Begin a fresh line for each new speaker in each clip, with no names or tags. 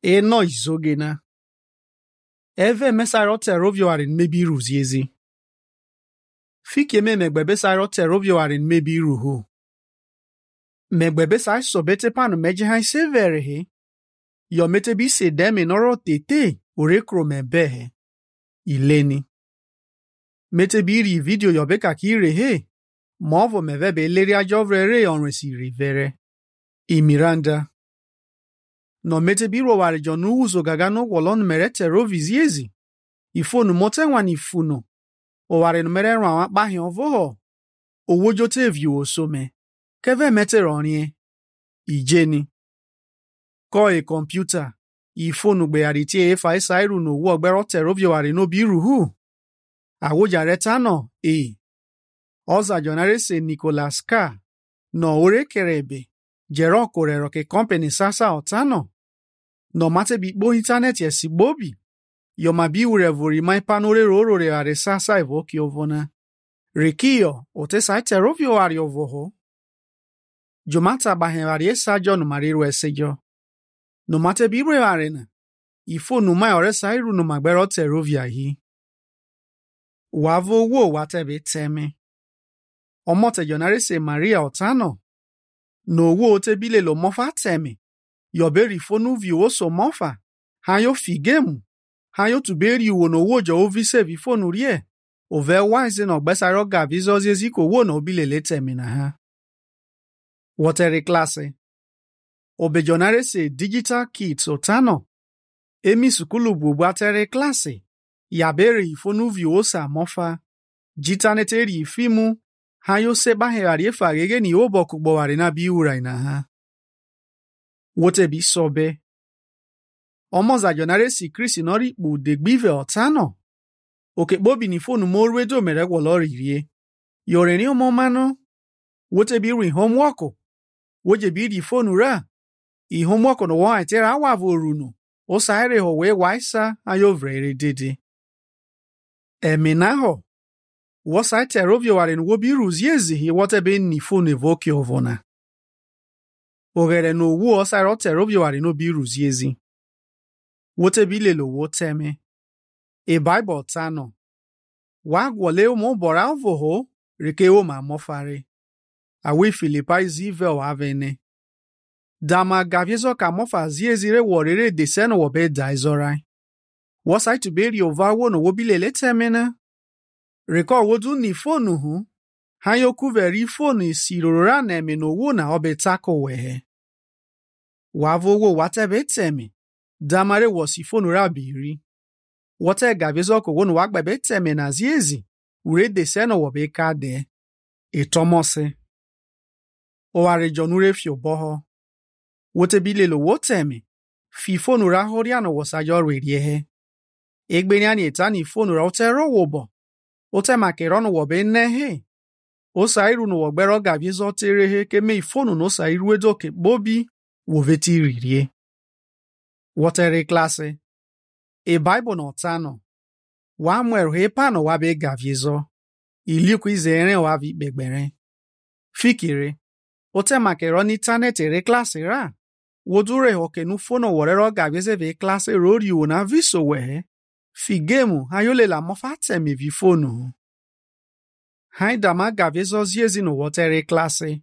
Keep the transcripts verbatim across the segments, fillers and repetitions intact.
eno izogena. Eve mesaro terovio arin mebi ruziezi. Fike me megbebe saro terovio arin mebi ruhu. Megbebe sa sobete panu meje hai severe he. Yo mete bi se deme noro tete urekro mebehe. Ileni. Mete bi ri video yo beka ki re he. Movo mevebe leri ajovre re onresi rivere. I Miranda. No mete bi ro ware jonu uzo gagano wolon mere teroviziezi. Ifonu mote wan ifuno. O ware no mere ran akpa hin ovoho. Owo jote view osome. Keve mete ronye. Ijeni. Ko e computer. Ifonu gbe ariti e fa isairu no wo ogbero terovio ware no bi ruhu. Awoja retano e. Oza jonare se Nicholas K. No ore kerebe. Jero korero ke company sasa otano. No mate bi bo internet yesi bobi. Yo mabi urevori mai panore roro re are sasa evoki ovona. Rekio, ote sa terovio ari ovoho. Jomata bahen ari esajo no mariru esejo. No mate bi bre arena. Ifo no mai ore sairu no magbero terovia hi. Wavo wo watebe teme. Omote jonare se Maria otano. No wo ote bile lo mofa teme. Yoberi fonu vi oso mofa. Hayo figemu. Hayo tuberi uwo no wo jo ovise vi fonu rie. Ove wise no gbesaro ga vizozi ziko wo no bile le teme na ha. Wotere klase. Obejonare se digital kits otano. Emi sukulu bubu atere klase. Yaberi ifonu vi osa mofa. Jitaneteri ifimu. Hayo seba hearie fagege ni obo kugbowari na biura ina ha. Wote bi sobe. Omoza jonare si Chris nori bu degbive otano. Oke bobi ni fonu morwedo mere wolori rie. Yore ni omomano. Wote bi ri homework. Woje bi di fonu ra. I homework no wa itera awa voruno. O saire ho we waisa ayo vrere dede. Eminaho. Wasa terovio waren wobi ruziezi hi wotebe ni fonu evoki ovona. Ogere no wo osa terovio waren obi ruziezi. Wotebi lelo woteme. E Bible tano. Wagwole umo bora uvoho, rike uma mofare. Awi Filipai zivel avene. Dama gaviezo ka mofa ziezire worere deseno wobe daizorai. Wasa ituberi ovawo no wobilele temena. Reko wodu ni fonu hu. Hayoku veri fonu isirora neme no wo na obe tako wehe. Wavo wo watebe teme. Damare wosi fonu rabiri. Wote gavizo ko wonu wagbebe teme na ziezi. Ure deseno wobe kade. Etomose. Oware jonure fio boho. Wote bilelo woteme. Fi fonu ra horiano wosajo rediehe. Egbeniani etani fonu ra otero wobo. Ote makerono wobe nehe. Osairu no wogbero gavizo terehe keme ifonu no sairu edoke bobi woveti ririe. Wotere klase. E Bible no tano. Wa mwero he pano wabe gaviezo. Iliku izere wavi begbere. Fikire. Ote makeroni internet ere klase ra. Wodure hoke nu fono worero gavieze ve klase rori una viso wehe. Figemu hayole la mofate mi vi fono. Haidama gaviezo ziezi no wotere klase.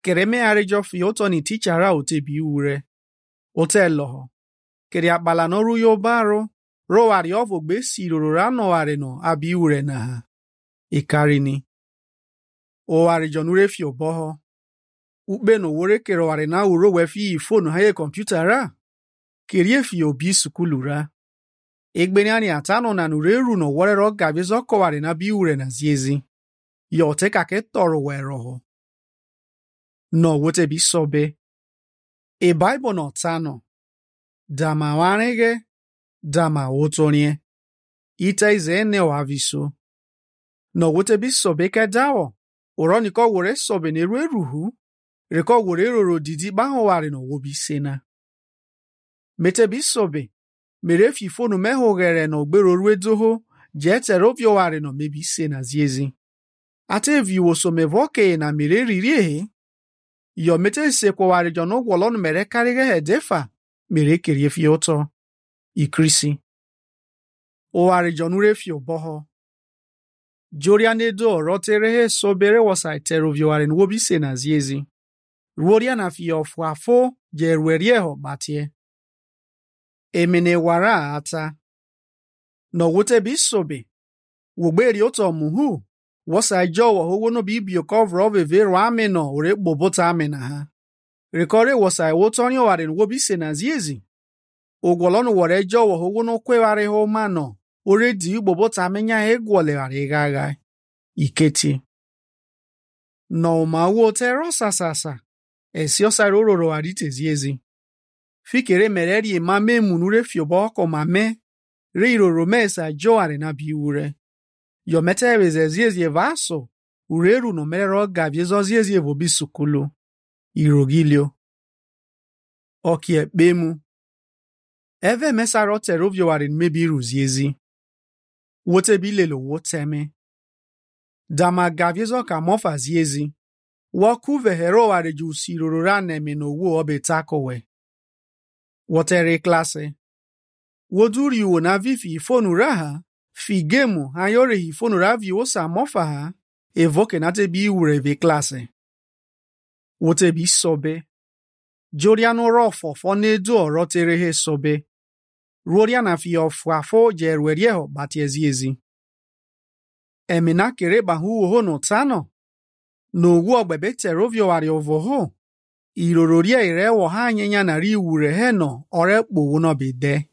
Kereme arejo fioto ni teachera otebi ure. Ote loho. Keri akbala noru yo baro, ro wari ovo gbe si rorora no ware no abi ure na ha. Ikarini. O wari jonure fi oboho. Ukbe no wore kero ware na uro wefi ifonu haye computer ra. Keri fi obi sukulu ra. Egbeni ani atano na nureru no wore ro gabezo ko ware na bi ure na ziezi. Yo te kake toro weroho. No wote bi sobe. E Bible no tano. Dama wanege, dama otonye. Ita izene waviso. No wote bi sobe ke dawo. Oroni ko wore sobe ne ruhu. Reko wore roro didi baho ware no wobi sena. Mete bi sobe. Mere fi fonu meho gere no gbero ruedoho. Jete rovio ware no mebi sena ziezi. Ate vi woso mevoke na mere ririe. Yo mete se kwa ware jono wolon mere karige hedefa. mere kerie fi oto ikrisi. Owari jonure fi oboho. Joria nedo rotere he sobere wasa teroviowari nwobi se na ziezi. Ruoria na fi ofuafo je ruerieho batie. Emene wara ata. No wote bisobe. Wogberi oto muhu. Wasa jowo howo no bi bio cover of a vero ameno ore bobota amena ha. Rekore wasa wotoni wari nwobi se na ziezi. Ogwolono wore jowo howo no kweware ho mano. Ore di bobota amenya egwole ware gaga. Iketi. No ma wote rosa sasa. Esi osaro roro arite ziezi. Fikere mereri mame munure fiobo ko mame. Re iroro mesa joare na biure. Yo mete weze ziezi vaso. Ureru no merero gaviezo ziezi vobi sukulu. Irogilio. Okie bemu. Eve mesaro terovyo warin mebiru ziezi. Wote bilelo woteme. Dama gaviezo ka mofa ziezi. Waku vehero ware ju sirorora neme no wo obe takowe. Wotere klase. Woduri wo na vifi ifonu raha. Fi gemu hayore ifonu ravi osa mofa ha. Evoke nate bi ureve klase. Wote bi sobe. Joriano rofo fonedo orotere he sobe. Roriana fi ofuafo jeruerieho batieziezi. Emina kere bahu oho no tano. No wu ogbebe terovio wari ovoho. Irororia ire wo ha anyenya na ri ure he no ore kpo no bede.